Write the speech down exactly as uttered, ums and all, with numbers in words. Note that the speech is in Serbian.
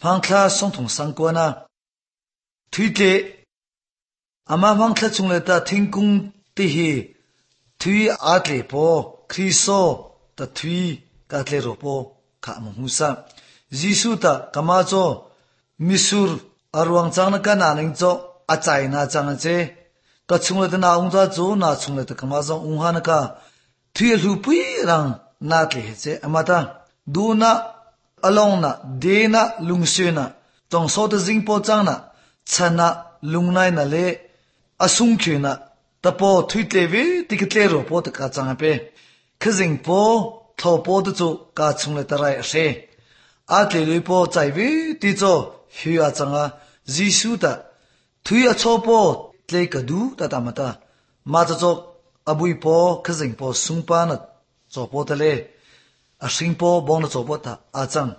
phang thla song thong sang ko na thui te ama phang thla chung le ta thingkung ti hi thui atle po Kristo ta thui ka tle ro po kha mo husa Jisu ta kama cho misur arwang chang na ka na ning cho achai na chang che ta chung le ta na ung za cho na chung le ta kama zo ung ha na ka thui lu pui rang na tle che amata du na along na de na lung se na tong so ta jing po chang na chana lung nai na le asung khye na ta po thui tle we ti ke tle ro po ta ka chang pe khazing po tho po tu chu ka chung le ta rai se a tle le po chai we ti cho hyu a chang a Jisu ta thui a cho po tle ka du ta ta ma ta ma cho cho abui po khazing po sung pa na cho po ta le a sing po bong na cho po ta a chang